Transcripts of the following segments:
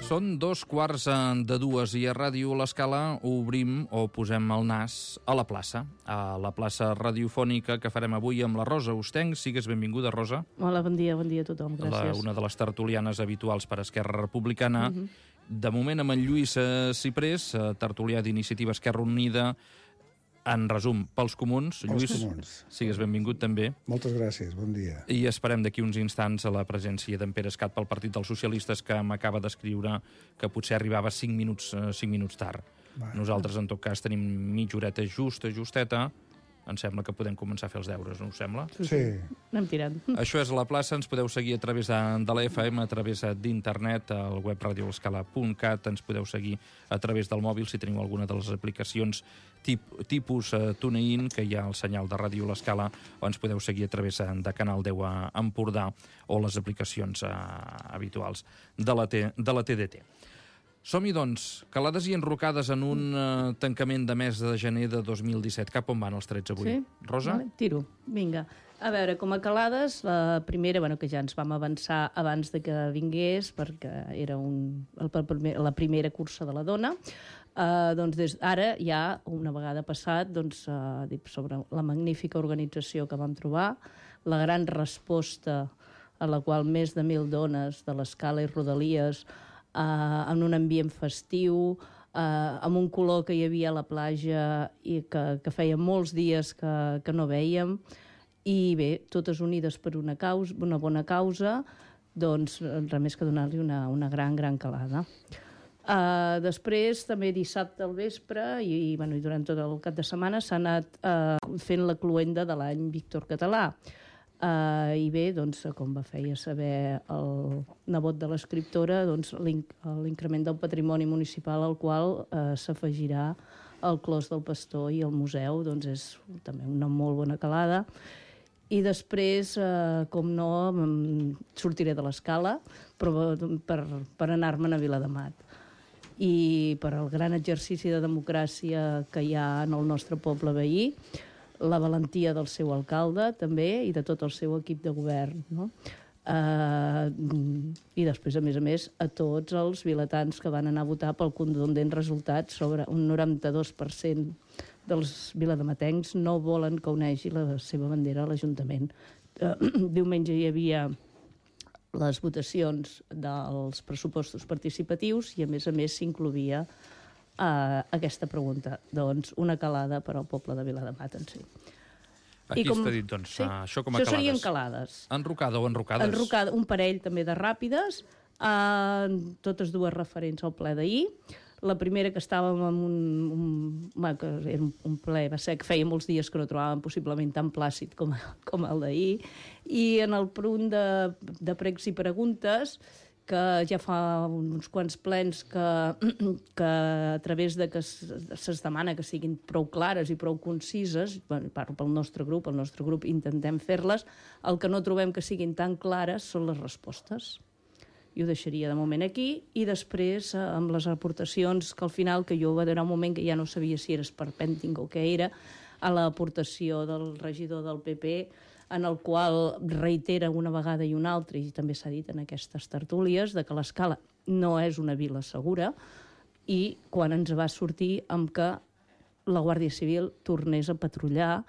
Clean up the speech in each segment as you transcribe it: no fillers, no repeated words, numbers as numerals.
Són 2:15 i a Ràdio L'Escala obrim o posem el nas a la plaça radiofònica que farem avui amb la Rosa Ostenc. Sigues benvinguda, Rosa. Hola, bon dia a tothom, gràcies. Una de les tertulianes habituals per Esquerra Republicana. De moment amb en Lluís Ciprés, tertulià d'Iniciativa Esquerra Unida. En resum, pels comuns. Lluís, sigues benvingut també. Moltes gràcies, bon dia. I esperem d'aquí uns instants a la presència d'en Pere Escat pel Partit dels Socialistes, que m'acaba d'escriure que potser arribava 5 minuts tard. Nosaltres, en tot cas, tenim mitja horeta justeta. Em sembla que podem començar a fer els deures, no us sembla? Sí. Anem tirant. Això és la plaça, ens podeu seguir a través de la FM, a través d'internet, al web radiolescala.cat, ens podeu seguir a través del mòbil si teniu alguna de les aplicacions tipus TuneIn, que hi ha el senyal de Ràdio L'Escala, o ens podeu seguir a través de Canal 10 a Empordà o les aplicacions habituals de la TDT. Som-hi, doncs, calades i enrocades en un tancament de mes de gener de 2017. Cap on van els trets avui? Sí? Rosa? Vale, tiro, vinga. A veure, com a calades, la primera, que ja ens vam avançar abans de que vingués, perquè era la primera cursa de la dona, doncs ara ja, una vegada passat, sobre la magnífica organització que vam trobar, la gran resposta a la qual més de 1.000 dones de l'Escala i Rodalies, en un ambient festiu, amb un color que hi havia a la platja i que feia molts dies que no vèiem, i bé, totes unides per una bona causa, doncs res més que donar-li una gran calada. Després, també dissabte al vespre i durant tot el cap de setmana s'ha anat fent la cloenda de l'any Víctor Català. I bé, com va feia saber el nebot de l'escriptora, l'increment del patrimoni municipal al qual s'afegirà el Clos del Pastor i el museu, és també una molt bona calada. I després, com no, sortiré de l'Escala per anar-me'n a Viladamat. I per al gran exercici de democràcia que hi ha en el nostre poble veí, la valentia del seu alcalde, també, i de tot el seu equip de govern, no? I després, a més, a tots els vilatans que van anar a votar pel contundent resultat. Sobre un 92% dels viladamatencs no volen que uneixi la seva bandera a l'Ajuntament. Diumenge hi havia les votacions dels pressupostos participatius i, a més, s'incloïa aquesta pregunta. Doncs una calada per al poble de Viladamat en si. Aquí està dit, això com a calades. Això serien calades. Enrocada o enrocades? Enrocada, un parell també de ràpides, totes dues referents al ple d'ahir. La primera, que estàvem en que era un ple, va ser que feia molts dies que no trobàvem possiblement tan plàcid com el d'ahir, i en el punt de pregs i preguntes, que ja fa uns quants plens que a través de que se'ns demana que siguin prou clares i prou concises, parlo pel nostre grup intentem fer-les, el que no trobem que siguin tan clares són les respostes. I ho deixaria de moment aquí, i després amb les aportacions que al final, que jo va haver un moment que ja no sabia si era esperpèntic o què era, a l'aportació del regidor del PP, en el qual reitera una vegada i una altra, i també s'ha dit en aquestes tertúlies, de que l'Escala no és una vila segura, i quan ens va sortir amb que la Guàrdia Civil tornés a patrullar,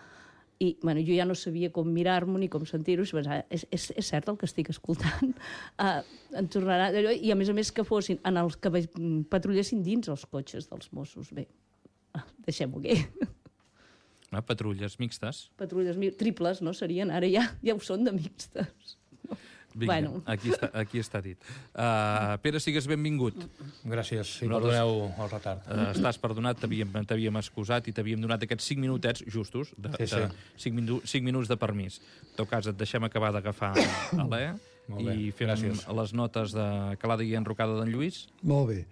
i jo ja no sabia com mirar-m'ho ni com sentir-ho, és cert el que estic escoltant, en tornarà, i a més que fossin en els que patrullessin dins els cotxes dels Mossos. Bé, deixem-ho aquí. Patrulles mixtes. Patrulles triples, no? Serien, ara ja ho són de mixtes. Vinga, aquí està dit. Pere, sigues benvingut. Gràcies, i perdoneu el retard. Estàs perdonat, t'havíem excusat i t'havíem donat aquests 5 minutets justos, 5 minuts de permís. En tot cas, et deixem acabar d'agafar l'E i fem les notes de calada i enrocada d'en Lluís. Molt bé.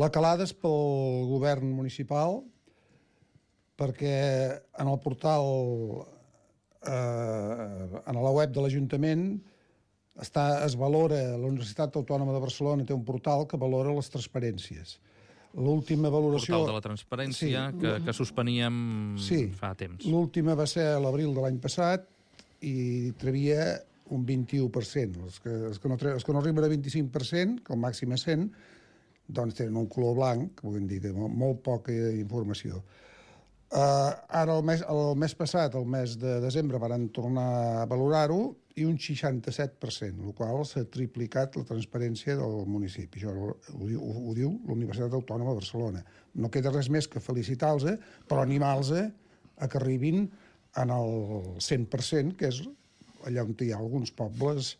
La calada és pel govern municipal, perquè en el portal, en la web de l'Ajuntament, es valora, la Universitat Autònoma de Barcelona té un portal que valora les transparències. L'última valoració... Portal de la transparència, que suspeníem fa temps. L'última va ser a l'abril de l'any passat, i trebia un 21%. Els que no arriben a 25%, que el màxim és 100, doncs tenen un color blanc, que vull dir, molt poca informació. Ara, el mes passat, el mes de desembre, van tornar a valorar-ho i un 67%, el qual s'ha triplicat la transparència del municipi. Això ho diu la Universitat Autònoma de Barcelona. No queda res més que felicitar-los, però animar-los a que arribin en el 100%, que és allà on hi ha alguns pobles,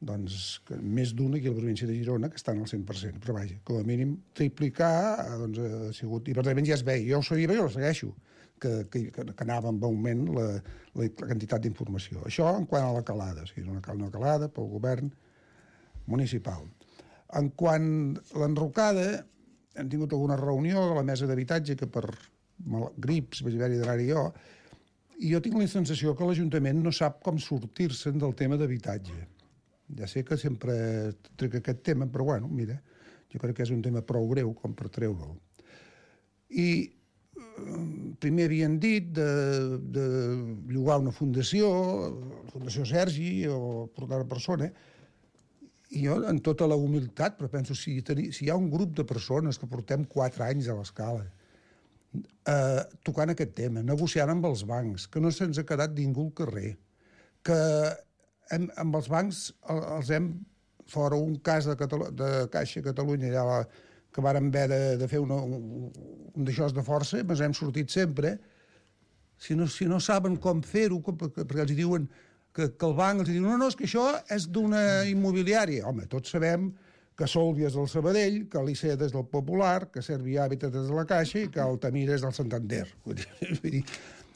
doncs, més d'un aquí a la província de Girona, que estan al 100%. Però vaja, com a mínim, triplicar doncs, ha sigut... I per tant, ja es veia. Jo ho sabia, jo ho segueixo, que anava amb augment la quantitat d'informació. Això en quant a la calada, o sigui, una calada pel govern municipal. En quant a l'enrocada, hem tingut alguna reunió de la mesa d'habitatge que per grips vaig haver-hi d'anar-hi jo, i jo tinc la sensació que l'Ajuntament no sap com sortir-se'n del tema d'habitatge. Ja sé que sempre trec aquest tema, però bueno, mira, jo crec que és un tema prou greu com per treure'l. I primer havien dit de llogar una fundació, la Fundació Sergi o portar una persona, i jo, en tota la humilitat, però penso, si hi ha un grup de persones que portem 4 anys a l'Escala tocant aquest tema, negociant amb els bancs, que no se'ns ha quedat ningú al carrer, que amb els bancs els hem, fora un cas de Caixa Catalunya, allà que vàrem haver de fer un d'això de força, ens hem sortit sempre. Si no saben com fer-ho, perquè els diuen que el banc els diu no, és que això és d'una immobiliària. Home, tots sabem que Solvia és del Sabadell, que l'Iceda és del Popular, que Servia Habitat és de la Caixa i que Altamira és del Santander. Vull dir,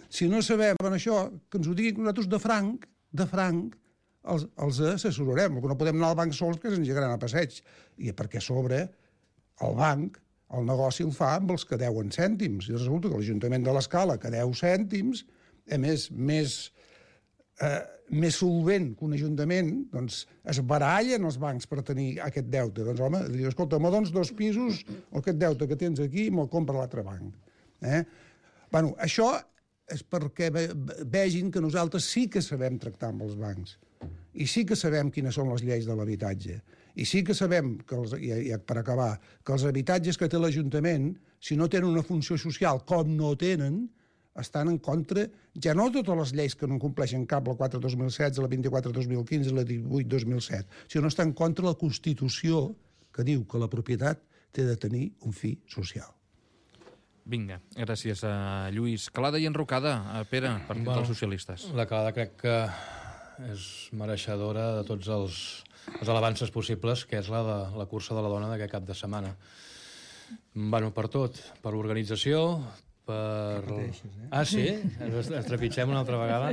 si no sabem això, que ens ho diguin nosaltres de franc, els assessorarem. No podem anar al banc sols, que ens llegaran a passeig. I perquè a sobre el banc, el negoci el fa amb els que deuen cèntims. I resulta que l'Ajuntament de l'Escala, que deu cèntims, a més solvent que un ajuntament, doncs es barallen els bancs per tenir aquest deute. Doncs home, diu, escolta, me dones 2 pisos, aquest deute que tens aquí me'l compra l'altre banc. Bueno, això és perquè vegin que nosaltres sí que sabem tractar amb els bancs. I sí que sabem quines són les lleis de l'habitatge. I sí que sabem, per acabar, que els habitatges que té l'Ajuntament, si no tenen una funció social com no tenen, estan en contra, ja no de totes les lleis que no compleixen cap, la 4-2016, la 24-2015, la 18-2007, sinó estan en contra la Constitució que diu que la propietat té de tenir un fi social. Vinga, gràcies a Lluís. Calada i enrocada, Pere, Partit dels Socialistes. La calada crec que és mereixedora de tots els alabances possibles, que és la cursa de la dona d'aquest cap de setmana. Bueno, per tot, per l'organització, per... Ah, sí? Ens trepitgem una altra vegada?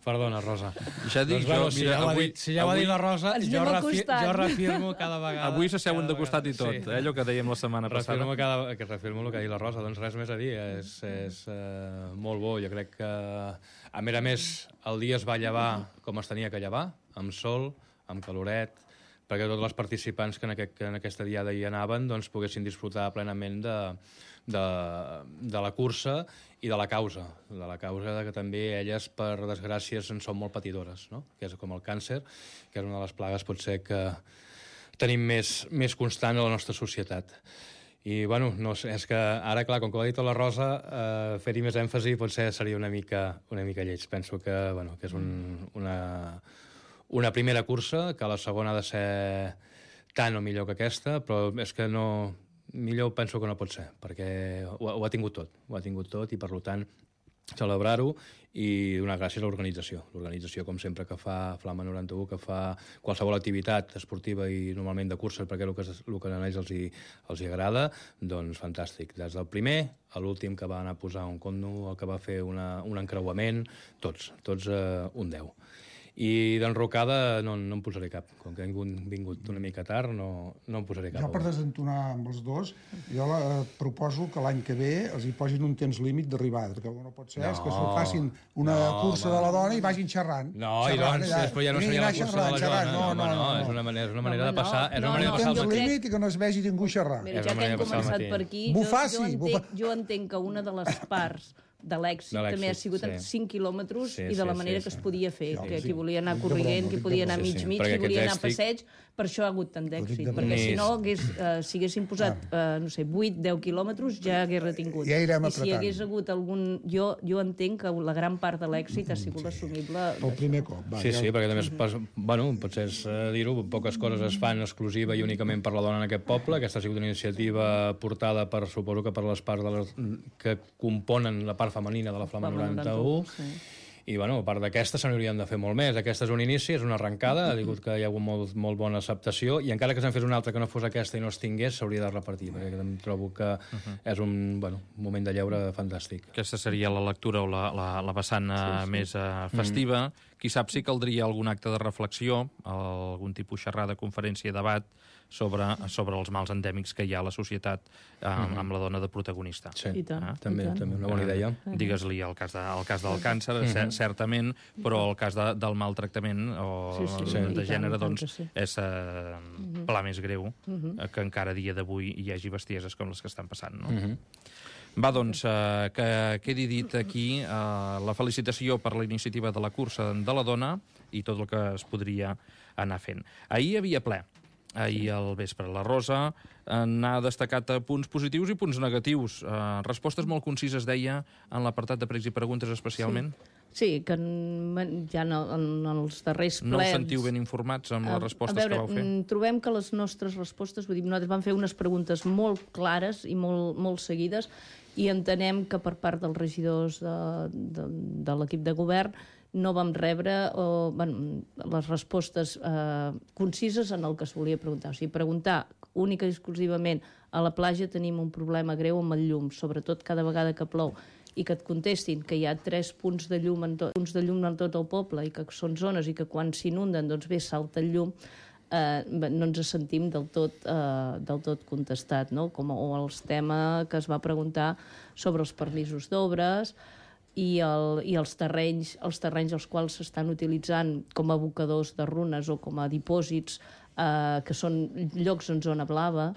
Perdona, Rosa. Ja dic, doncs, si ja ho ha dit la Rosa, jo reafirmo cada vegada... Avui s'asseuen de costat i tot, allò que dèiem la setmana passada. Reafirmo el que ha dit la Rosa, doncs res més a dir, és molt bo. Jo crec que, a més, el dia es va llevar com es tenia que llevar, amb sol, amb caloret, perquè tots els participants que en aquesta diada hi anaven doncs, poguessin disfrutar plenament de la cursa i de la causa que també elles, per desgràcia, en són molt patidores, no? Que és com el càncer, que és una de les plagues potser que tenim més constant a la nostra societat. I, bueno, no sé, és que ara, clar, com que ho ha dit la Rosa, fer-hi més èmfasi potser seria una mica lleig. Penso que és una primera cursa, que la segona ha de ser tant o millor que aquesta, però és que no... Millor penso que no pot ser, perquè ho ha tingut tot, i per tant celebrar-ho i donar gràcies a l'organització. L'organització, com sempre, que fa Flama 91, que fa qualsevol activitat esportiva i normalment de curses, perquè el que a ells els agrada, doncs fantàstic. Des del primer a l'últim que va anar a posar un condo, el que va fer un encreuament, tots un 10. I d'enrocada no em posaré cap. Com que he vingut una mica tard, no em posaré cap. Jo, per desentonar amb els dos, jo proposo que l'any que ve els hi posin un temps límit d'arribada, perquè no pot ser que s'ho facin una cursa de la dona i vagin xerrant. No, i doncs, després ja no seria la cursa de la dona. No, és una manera de passar el matí. Un temps límit i que no es vegi ningú xerrar. Mira, ja que hem començat per aquí, jo entenc que una de les parts de l'èxit també ha sigut en 5 quilòmetres i de la manera que es podia fer, que qui volia anar corrient, qui podia anar mig, qui volia anar a passeig, per això ha hagut tant d'èxit, perquè si no, si haguessin posat, no sé, 8-10 quilòmetres, ja hagués retingut. I si hi hagués hagut algun... Jo entenc que la gran part de l'èxit ha sigut assumible... El primer cop. Sí, perquè també, bueno, potser és dir-ho, poques coses es fan exclusiva i únicament per la dona en aquest poble. Aquesta ha sigut una iniciativa portada per, suposo que per les parts que componen la part femenina de la Flama 91, i bueno, a part d'aquesta se n'haurien de fer molt més. Aquesta és un inici, és una arrencada, ha dit que hi ha hagut molt bona acceptació, i encara que se'n fes una altra que no fos aquesta i no es tingués, s'hauria de repartir, perquè em trobo que és un moment de lleure fantàstic. Aquesta seria la lectura o la vessant més festiva. Qui sap si caldria algun acte de reflexió, algun tipus xerrada, conferència, debat, sobre els mals endèmics que hi ha a la societat amb la dona de protagonista. Sí, també una bona idea. Digues-li el cas del càncer, certament, però el cas del maltractament o de gènere, doncs, és pla més greu que encara a dia d'avui hi hagi bestieses com les que estan passant, no? Va, doncs, que quedi dit aquí la felicitació per la iniciativa de la cursa de la dona i tot el que es podria anar fent. Ahir hi havia ple. Ahir al vespre. La Rosa n'ha destacat punts positius i punts negatius. Respostes molt concises, deia, en l'apartat de pregs i preguntes especialment. Sí, que ja en els darrers plens... No us sentiu ben informats amb les respostes que vau fer? Trobem que les nostres respostes, vull dir, nosaltres vam fer unes preguntes molt clares i molt seguides, i entenem que per part dels regidors de l'equip de govern no vam rebre les respostes concises en el que es volia preguntar. O sigui, preguntar única i exclusivament a la platja tenim un problema greu amb el llum, sobretot cada vegada que plou, i que et contestin que hi ha 3 punts de llum en tot el poble i que són zones i que quan s'inunden doncs bé salta el llum, no ens sentim del tot contestat, no? O el tema que es va preguntar sobre els permisos d'obres i els terrenys als quals s'estan utilitzant com a abocadors de runes o com a dipòsits, que són llocs en zona blava,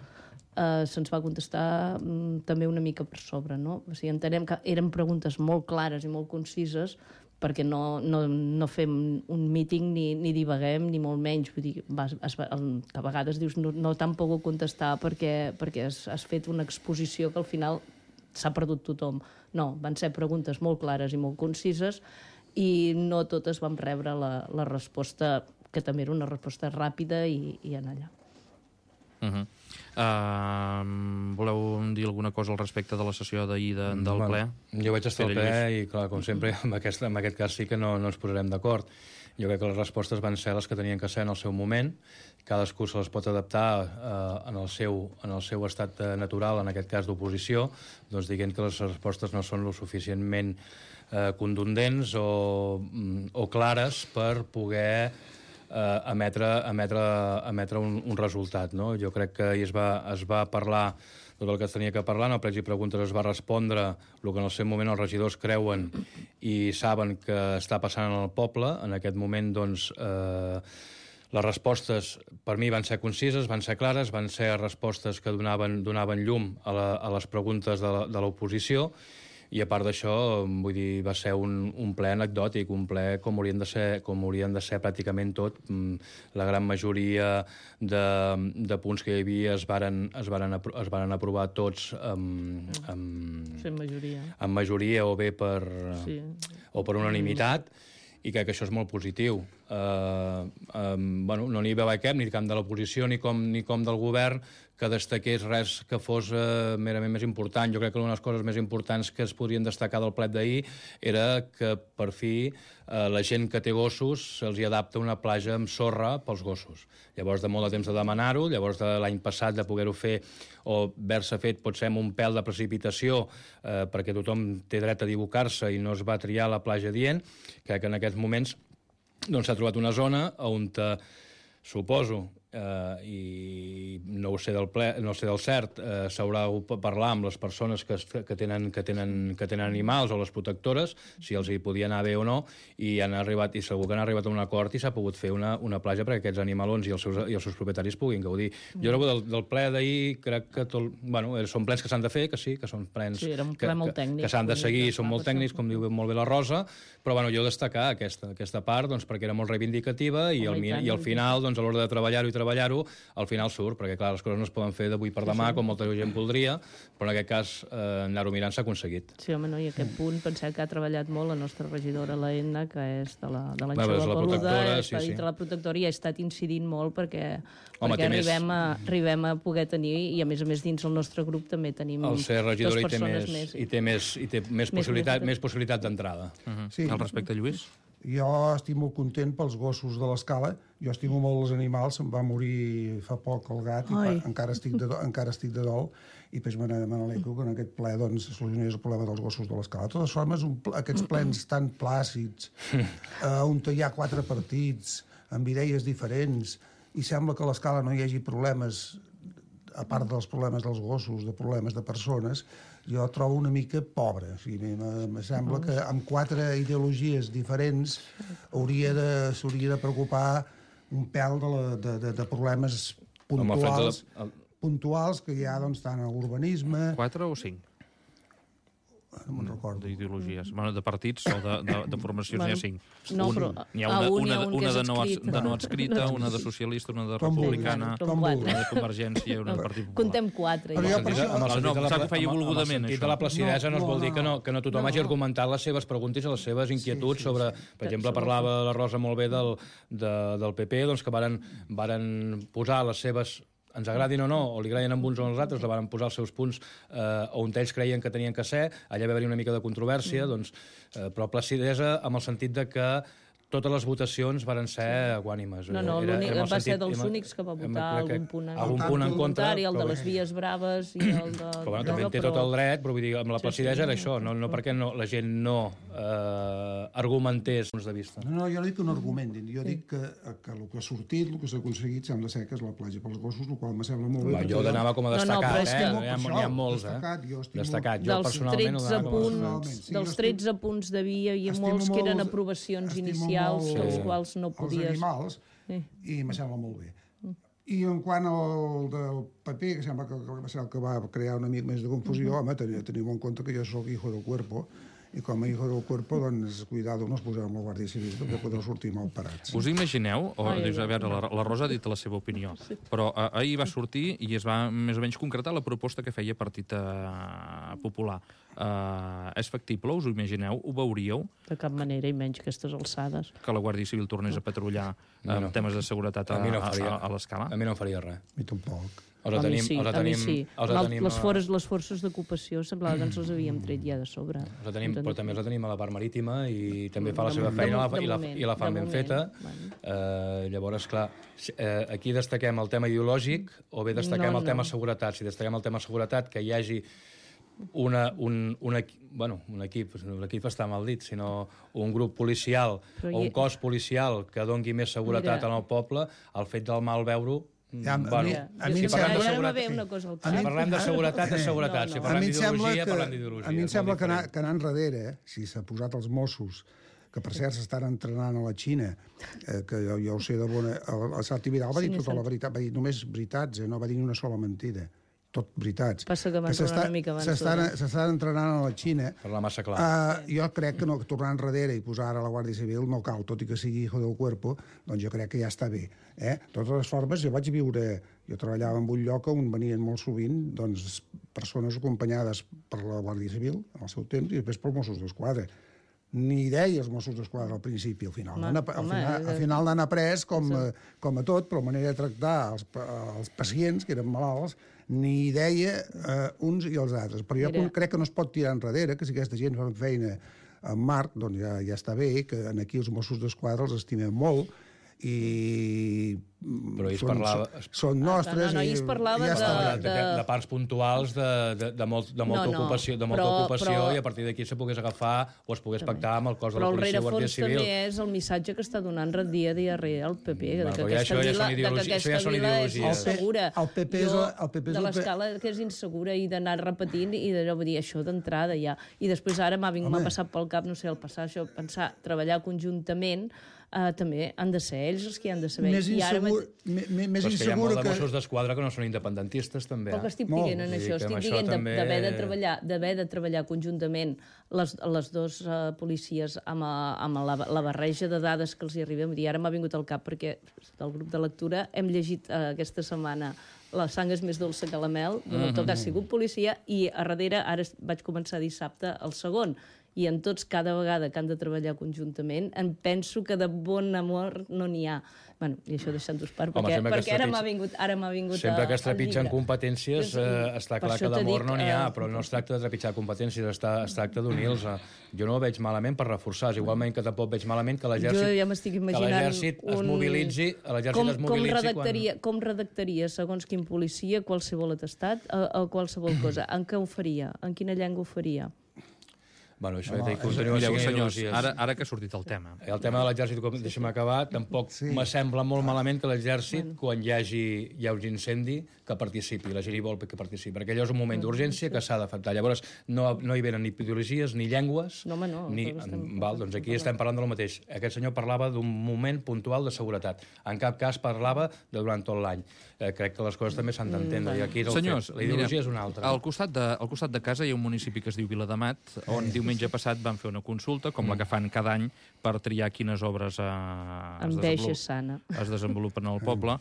se'ns va contestar també una mica per sobre, no? O sigui, entenem que eren preguntes molt clares i molt concises, perquè no fem un míting ni divaguem, ni molt menys. Vull dir, que a vegades dius no t'han pogut contestar perquè has fet una exposició que al final s'ha perdut tothom. No, van ser preguntes molt clares i molt concises i no totes vam rebre la resposta, que també era una resposta ràpida i anar allà. Voleu dir alguna cosa al respecte de la sessió d'ahir del ple? Jo vaig estar al ple i, clar, com sempre, en aquest cas sí que no ens posarem d'acord. Jo crec que les respostes van ser les que tenien que ser en el seu moment. Cadascú se les pot adaptar en el seu estat natural, en aquest cas d'oposició, doncs dient que les respostes no són lo suficientment contundents o clares per poder emetre un resultat, no? Jo crec que es va parlar tot el que es tenia que parlar, en el pregs i preguntes es va respondre el que en el seu moment els regidors creuen i saben que està passant en el poble. En aquest moment, doncs, les respostes per mi van ser concises, van ser clares, van ser respostes que donaven llum a les preguntes de l'oposició, i a part d'això, vull dir, va ser un ple anecdòtic, un ple com haurien de ser pràcticament tot. La gran majoria de punts que hi havia es varen aprovar tots amb majoria o bé per unanimitat, i crec que això és molt positiu. No n'hi veu cap, ni camp de l'oposició ni com del govern, que destaqués res que fos merament més important. Jo crec que una de les coses més importants que es podrien destacar del plet d'ahir era que, per fi, la gent que té gossos se'ls hi adapta una platja amb sorra pels gossos. Llavors, de molt de temps de demanar-ho, llavors de l'any passat de poder-ho fer o haver-se fet potser amb un pèl de precipitació perquè tothom té dret a equivocar-se i no es va triar la platja dient, crec que en aquests moments s'ha trobat una zona on suposo i no ho sé del cert, s'haurà de parlar amb les persones que tenen animals o les protectores, si els hi podia anar bé o no, i segur que han arribat a un acord i s'ha pogut fer una platja perquè aquests animalons i els seus propietaris puguin gaudir. Jo del ple d'ahir crec que són plens que s'han de fer, que sí, que són plens que s'han de seguir, són molt tècnics, com diu molt bé la Rosa, però jo destacar aquesta part perquè era molt reivindicativa i al final, a l'hora de treballar-ho, al final surt, perquè clar, les coses no es poden fer d'avui per demà, com molta gent voldria, però en aquest cas anar-ho mirant s'ha aconseguit. Sí, home, i aquest punt pensem que ha treballat molt la nostra regidora, la Edna, que és de l'Anxova Peluda, està dintre la protectora i ha estat incidint molt perquè arribem a poder tenir, i a més dins el nostre grup també tenim el ser regidora i té més possibilitat d'entrada. Al respecte, Lluís? Jo estic molt content pels gossos de l'Escala. Jo estimo molt els animals. Em va morir fa poc el gat i encara estic de dol. I després me n'alegro que en aquest ple solucionés el problema dels gossos de l'Escala. De totes formes, aquests plens tan plàcids, on hi ha 4 partits, amb idees diferents, i sembla que a l'Escala no hi hagi problemes, a part dels problemes dels gossos, de problemes de persones, jo trobo una mica pobre. O sigui, em sembla que amb 4 ideologies diferents s'hauria de preocupar un pèl de problemes puntuals que hi ha tant a l'urbanisme... 4 o 5? No me'n recordo. D'ideologies. De partits o de formacions n'hi ha 5. No, però n'hi ha una de no adscrita, una de socialista, una de republicana, una de Convergència, una de Partit Popular. Contem 4. Pensava que feia volgudament, això. De la placidesa no es vol dir que no tothom hagi argumentat les seves preguntes i les seves inquietuds sobre... Per exemple, parlava la Rosa molt bé del PP, que varen posar les seves... ens agradin o no, o li agradin amb uns o als altres, la van posar els seus punts on ells creien que tenien que ser, allà va haver-hi una mica de controvèrsia, però placidesa amb el sentit de que totes les votacions varen ser equànimes. Va ser dels únics que va votar algun punt en contra, el de les vies braves i el de... Però també té tot el dret, però vull dir, amb la placidesa era això, no perquè la gent no argumentés punts de vista. No, jo no dic que no argumentin, jo dic que el que ha sortit, el que s'ha aconseguit, sembla ser que és la platja pels gossos, el qual me sembla molt bé. Jo l'anava com a destacat, n'hi ha molts, destacat. Jo personalment ho donava com a destacat. Dels 13 punts de via hi ha molts que eren aprovacions inicials, dels quals no podies... Els animals, i me sembla molt bé. I en quant al del paper, que sembla que va ser el que va crear una mica més de confusió, home, teniu en compte que jo sóc hijo del cuerpo, i com a hijo del cuerpo, doncs, cuidado, no es poseu amb la Guàrdia Civil, perquè podeu sortir mal parats. Us imagineu, dius, a veure, la Rosa ha dit la seva opinió, però ahir va sortir i es va més o menys concretar la proposta que feia Partit Popular. És factible, us ho imagineu? Ho veuríeu? De cap manera, i menys aquestes alçades. Que la Guàrdia Civil tornés a patrullar amb temes de seguretat a l'Escala? A mi no em faria res. A mi tampoc. A mi sí. Les forces d'ocupació semblava que ens les havíem tret ja de sobre. Però també la tenim a la part marítima i també fa la seva feina i la fan ben feta. Llavors, clar, aquí destaquem el tema ideològic o bé destaquem el tema seguretat. Si destaquem el tema seguretat, que hi hagi un equip està mal dit, sinó un grup policial o un cos policial que doni més seguretat al poble, el fet del mal veure-ho. Si parlem de seguretat, és seguretat. Si parlem d'ideologia, parlem d'ideologia. A mi em sembla que anar enrere, si s'ha posat els Mossos, que per cert s'estan entrenant a la Xina, que jo ho sé de bona... El Santi Vidal va dir tota la veritat, va dir només veritats, no va dir ni una sola mentida. Tot veritats. Passa que van tornar una mica abans. S'estan entrenant a la Xina. Per la massa clar. Jo crec que no, tornar enrere i posar ara la Guàrdia Civil no cal, tot i que sigui hijo del cuerpo, doncs jo crec que ja està bé. De totes les formes, jo vaig viure... Jo treballava en un lloc on venien molt sovint persones acompanyades per la Guàrdia Civil, en el seu temps, i després pels Mossos d'Esquadra. Ni deia els Mossos d'Esquadra al principi, al final n'han après com a tot, però manera de tractar els pacients, que eren malalts, ni deia uns i els altres. Però jo crec que no es pot tirar enrere, que si aquesta gent fa feina amb Marc, doncs ja està bé, que aquí els Mossos d'Esquadra els estimem molt, i Però ahir es parlava... són nostres... No, ahir es parlava de parts puntuals de molta ocupació, i a partir d'aquí se pogués agafar o es pogués pactar amb el cos de la policia o Guàrdia Civil. Però el rerefons també és el missatge que està donant dia a dia el PP, que aquesta vila és insegura. El PP de l'escala que és insegura i d'anar repetint i d'allò dir això d'entrada ja. I després ara m'ha passat pel cap, no sé, pensar treballar conjuntament també han de ser ells els que han de saber. Més insegura però és que hi ha molt de Mossos d'Esquadra que no són independentistes, també. Però que estic dient en això, estic dient d'haver de treballar conjuntament les dues policies amb la barreja de dades que els hi arribem. I ara m'ha vingut al cap perquè del grup de lectura hem llegit aquesta setmana La sang és més dolça que la mel, d'un autor que ha sigut policia, i a darrere, ara vaig començar dissabte, el segon. I en tots, cada vegada que han de treballar conjuntament, em penso que de bon amor no n'hi ha. Bueno, i això deixant-ho part, perquè ara m'ha vingut sempre que es trepitgen competències, està clar que d'amor no n'hi ha, però no es tracta de trepitjar competències, es tracta d'unir-los. Jo no ho veig malament per reforçar-se, igualment que tampoc veig malament que l'exèrcit es mobilitzi. Com redactaria, segons quin policia, qualsevol atestat o qualsevol cosa? En què ho faria? En quina llengua ho faria? Bueno, això continua sent senyors, ara que ha sortit el tema. El tema de l'exèrcit, deixa'm acabar, tampoc me sembla molt malament que l'exèrcit, quan hi hagi un incendi, que participi, la gent hi vol que participi, perquè allò és un moment d'urgència que s'ha d'afectar. Llavors, no hi venen ni ideologies, ni llengües... No, home, no. Doncs aquí estem parlant del mateix. Aquest senyor parlava d'un moment puntual de seguretat. En cap cas parlava de durant tot l'any. Crec que les coses també s'han d'entendre. I aquí la ideologia és una altra. Al costat de casa hi ha un municipi que es diu Viladamat, on diumenge passat van fer una consulta, com la que fan cada any, per triar quines obres es desenvolupen al poble.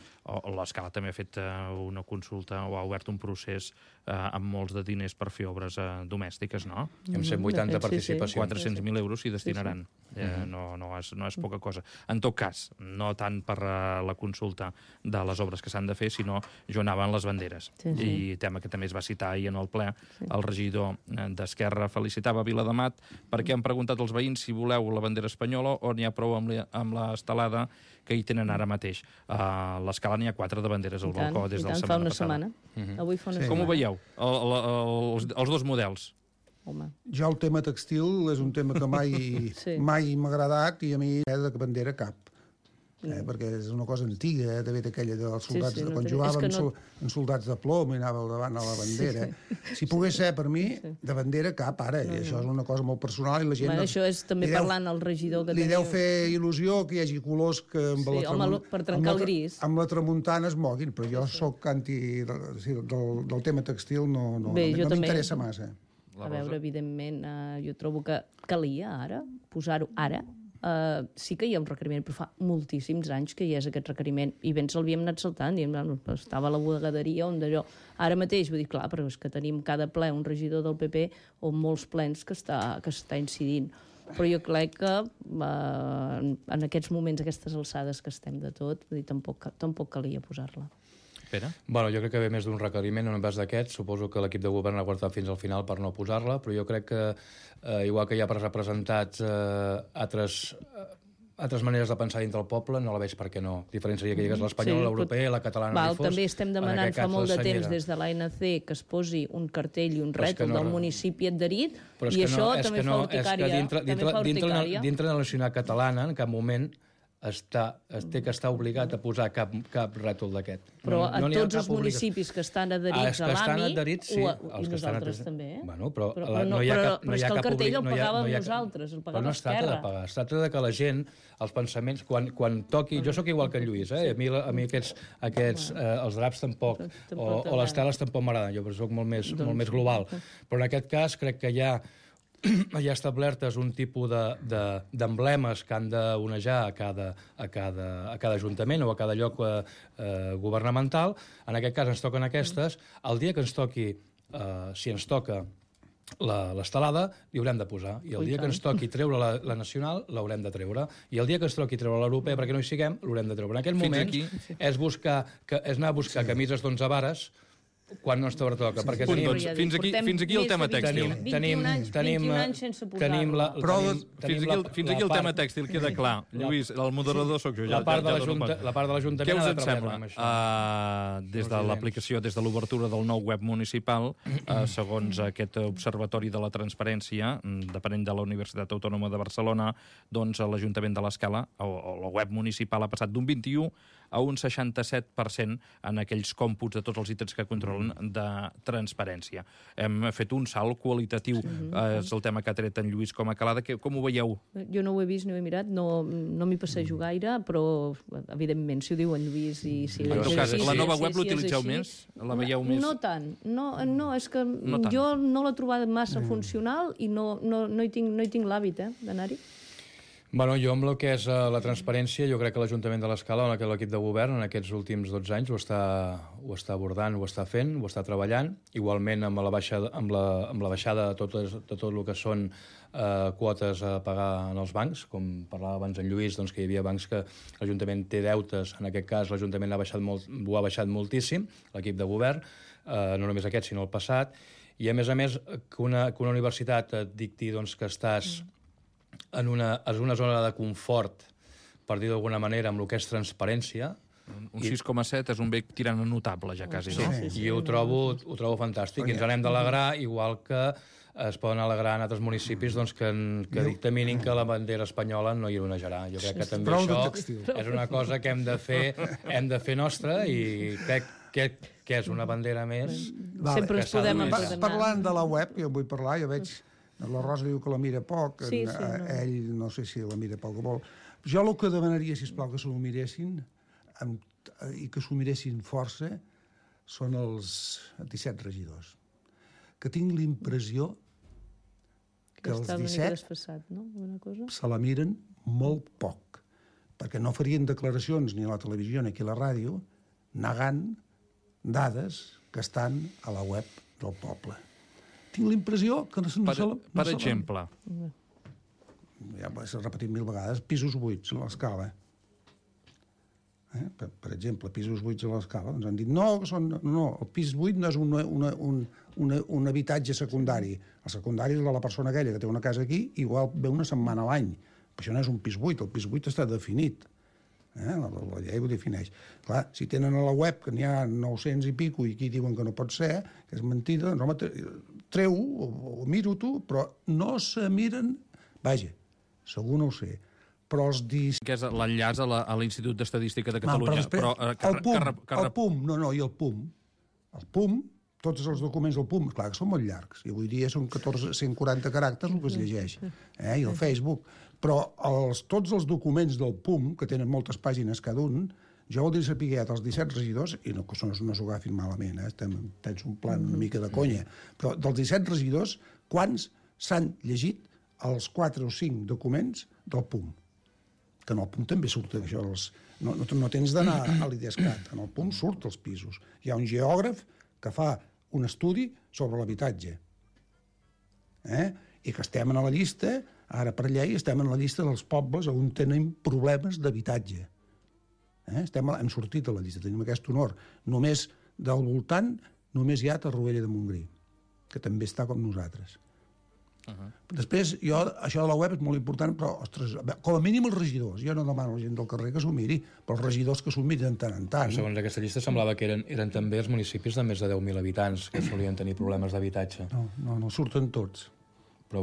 L'Escala també ha fet una consulta o ha obert un procés amb molts de diners per fer obres domèstiques, no? Amb 180 participacions. 400.000 euros s'hi destinaran. No és poca cosa. En tot cas, no tant per la consulta de les obres que s'han de fer, sinó jo anava en les banderes. I tema que també es va citar ahir en el ple, el regidor d'Esquerra felicitava Viladamat perquè han preguntat als veïns si voleu la bandera espanyola o n'hi ha prou amb l'estelada que hi tenen ara mateix. A l'Escala n'hi ha 4 de banderes al balcó des de la setmana passada. Avui fa una setmana. Com ho veieu, els dos models? Jo el tema textil és un tema que mai m'ha agradat i a mi de bandera cap. Perquè és una cosa antiga, també aquella dels soldats, quan jugàvem en soldats de plom i anava al davant a la bandera. Si pogués ser per mi, de bandera cap ara, i això és una cosa molt personal i la gent... Això és també parlant al regidor que li deu fer il·lusió que hi hagi colors que per trencar el gris. Amb la tramuntana es moguin, però jo sóc anti del tema textil, no m'interessa massa. A veure, evidentment, jo trobo que calia ara, posar-ho ara. Sí que hi ha un requeriment, però fa moltíssims anys que hi és aquest requeriment, i ben l'havíem anat saltant, estava a la bodegaderia on d'allò. Ara mateix, vull dir, clar, però és que tenim cada ple un regidor del PP o molts plens que està incidint. Però jo crec que en aquests moments, aquestes alçades que estem de tot, vull dir, tampoc calia posar-la. Bueno, jo crec que ve més d'un requeriment, en un cas d'aquests. Suposo que l'equip de govern ha guardat fins al final per no posar-la, però jo crec que, igual que hi ha representats altres maneres de pensar dintre del poble, no la veig per què no. Diferència seria que hi hagués l'espanyola, l'europea i la catalana. També estem demanant fa molt de temps des de l'ANC que es posi un cartell i un rètol del municipi adherit, i això també fa urticària. Dintre de la nacionalitat catalana, en cap moment té que estar obligat a posar cap rètol d'aquest. Però a tots els municipis que estan adherits a l'AMI, i nosaltres també, però és que el cartell el pagàvem nosaltres, el pagava Esquerra. No es tracta de pagar, es tracta de que la gent, els pensaments, quan toqui... Jo sóc igual que en Lluís, a mi aquests els draps tampoc, o les teles tampoc m'agraden, jo soc molt més global. Però en aquest cas crec que hi ha establertes un tipus d'emblemes que han d'onejar a cada ajuntament o a cada lloc governamental. En aquest cas ens toquen aquestes. El dia que ens toqui, si ens toca l'estelada, li haurem de posar. I el dia que ens toqui treure la nacional, l'haurem de treure. I el dia que ens toqui treure l'europea, perquè no hi siguem, l'haurem de treure. En aquest moment és anar a buscar camises d'11 vares Quan no ens toca, perquè Punt, doncs, fins aquí el tema tèxtil. 21 anys sense posar-lo. Fins aquí el tema tèxtil, queda clar. Lluís, el moderador sóc jo. La part de l'Ajuntament Què us ha en de treballar amb sembla? Des de l'aplicació, des de l'obertura del nou web municipal, segons aquest observatori de la transparència, depenent de la Universitat Autònoma de Barcelona, doncs l'Ajuntament de l'Escala, o la web municipal, ha passat d'un 21 a un 67% en aquells còmputs de tots els ítems que controlen de transparència. Hem fet un salt qualitatiu. És el tema que ha tret en Lluís com a calada. Com ho veieu? Jo no ho he vist, no ho he mirat, no m'hi passejo gaire, però, evidentment, si ho diu en Lluís i si... En tot cas, la nova web l'utilitzeu més? La veieu més? No tant. No, és que jo no l'he trobat massa funcional i no hi tinc l'hàbit d'anar-hi. Bueno, jo amb el que és la transparència, jo crec que l'Ajuntament de l'Escala, on l'equip de govern en aquests últims 12 anys ho està abordant, ho està fent, ho està treballant. Igualment amb la baixada de tot el que són quotes a pagar en els bancs, com parlava abans en Lluís, doncs que hi havia bancs que l'Ajuntament té deutes, en aquest cas l'Ajuntament ho ha baixat moltíssim, l'equip de govern, no només aquest, sinó el passat, i a més, que una universitat et dicti doncs, que estàs en una zona de confort, per dir d'alguna manera, amb el que és transparència. Un 6,7 és un bec tirant a notable, ja quasi, no? Sí, i ho trobo fantàstic. I ens n'hem d'alegrar, igual que es poden alegrar en altres municipis doncs, que dictaminin que la bandera espanyola no hi onejarà. Jo crec que també això és una cosa que hem de fer nostra i crec que és una bandera més. Sempre ens podem empresonar. Parlant de la web, que jo vull parlar, jo veig... La Rosa diu que la mira poc, ell no sé si la mira poc o molt. Jo el que demanaria, sisplau, que s'ho miressin, i que s'ho miressin força, són els 17 regidors. Que tinc l'impressió que els 17 se la miren molt poc, perquè no farien declaracions ni a la televisió ni aquí a la ràdio negant dades que estan a la web del poble. Tinc l'impressió que Per exemple? Ja s'ha repetit 1000 vegades. Pisos buits a l'Escala. Per exemple, pisos buits a l'Escala. Ens han dit, no, el pis buit no és un habitatge secundari. El secundari és de la persona aquella que té una casa aquí, igual ve una setmana a l'any. Però això no és un pis buit. El pis buit està definit. La llei ho defineix. Clar, si tenen a la web que n'hi ha 900 i pico i aquí diuen que no pot ser, que és mentida, doncs home, treu-ho o miro-t'ho, però no se miren... Vaja, segur no ho sé, però els Que és l'enllaç a l'Institut d'Estadística de Catalunya. El PUM, i el PUM. El PUM, tots els documents del PUM, clar que són molt llargs, i avui dia són 140 caràcters el que es llegeix, i el Facebook. Però tots els documents del PUM, que tenen moltes pàgines cada un, jo voldria saber els 17 regidors, i no s'ho agafin malament, tens un plan una mica de conya, però dels 17 regidors, quants s'han llegit els 4 o 5 documents del PUM? Que en el PUM també surt això. No tens d'anar a l'IDESCAT, en el PUM surt els pisos. Hi ha un geògraf que fa un estudi sobre l'habitatge. I que estem a la llista, ara per llei, estem en la llista dels pobles on tenen problemes d'habitatge. Hem sortit a la llista, tenim aquest honor. Només del voltant, només hi ha Torroella de Montgrí, que també està com nosaltres. Després, això de la web és molt important, però, ostres, com a mínim els regidors. Jo no demano a la gent del carrer que s'ho miri, però els regidors que s'ho miren tant en tant. Segons aquesta llista semblava que eren també els municipis de més de 10.000 habitants que solien tenir problemes d'habitatge. No, surten tots. Però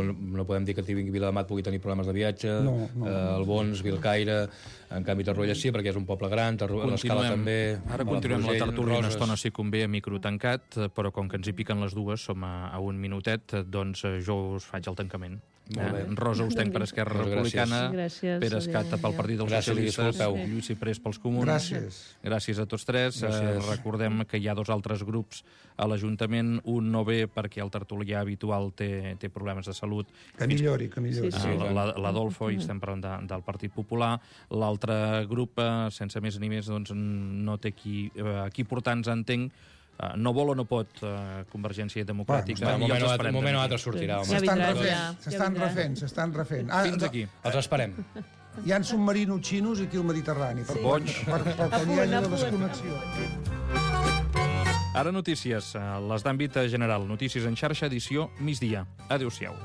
no podem dir que Viladamat pugui tenir problemes de viatge, el Bons, Vilcaire, en canvi Torroella sí, perquè és un poble gran, l'Escala també... Ara continuem la tertúlia una estona, si convé, a micro tancat, però com que ens hi piquen les dues, som a un minutet, doncs jo us faig el tancament. Rosa Ostenc per Esquerra Republicana, Pere Escata pel Partit dels Socialistes, Lluís Ciprés pels Comuns. Gràcies a tots tres. Recordem que hi ha 2 altres grups a l'Ajuntament, un no ve perquè el tertulià habitual té problemes de salut. Que millori. L'Adolfo, i estem parlant del Partit Popular. L'altre grup, sense més ni més, no té qui portar-nos, entenc, no vol o no pot Convergència Democràtica. Un moment o altre sortirà. S'estan refent. Fins aquí. Els esperem. Hi ha submarinos xinos aquí al Mediterrani. Per quan hi hagi la desconnexió. Ara notícies, les d'àmbit general. Notícies en xarxa, edició migdia. Adéu-siau.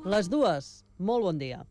Les dues, molt bon dia.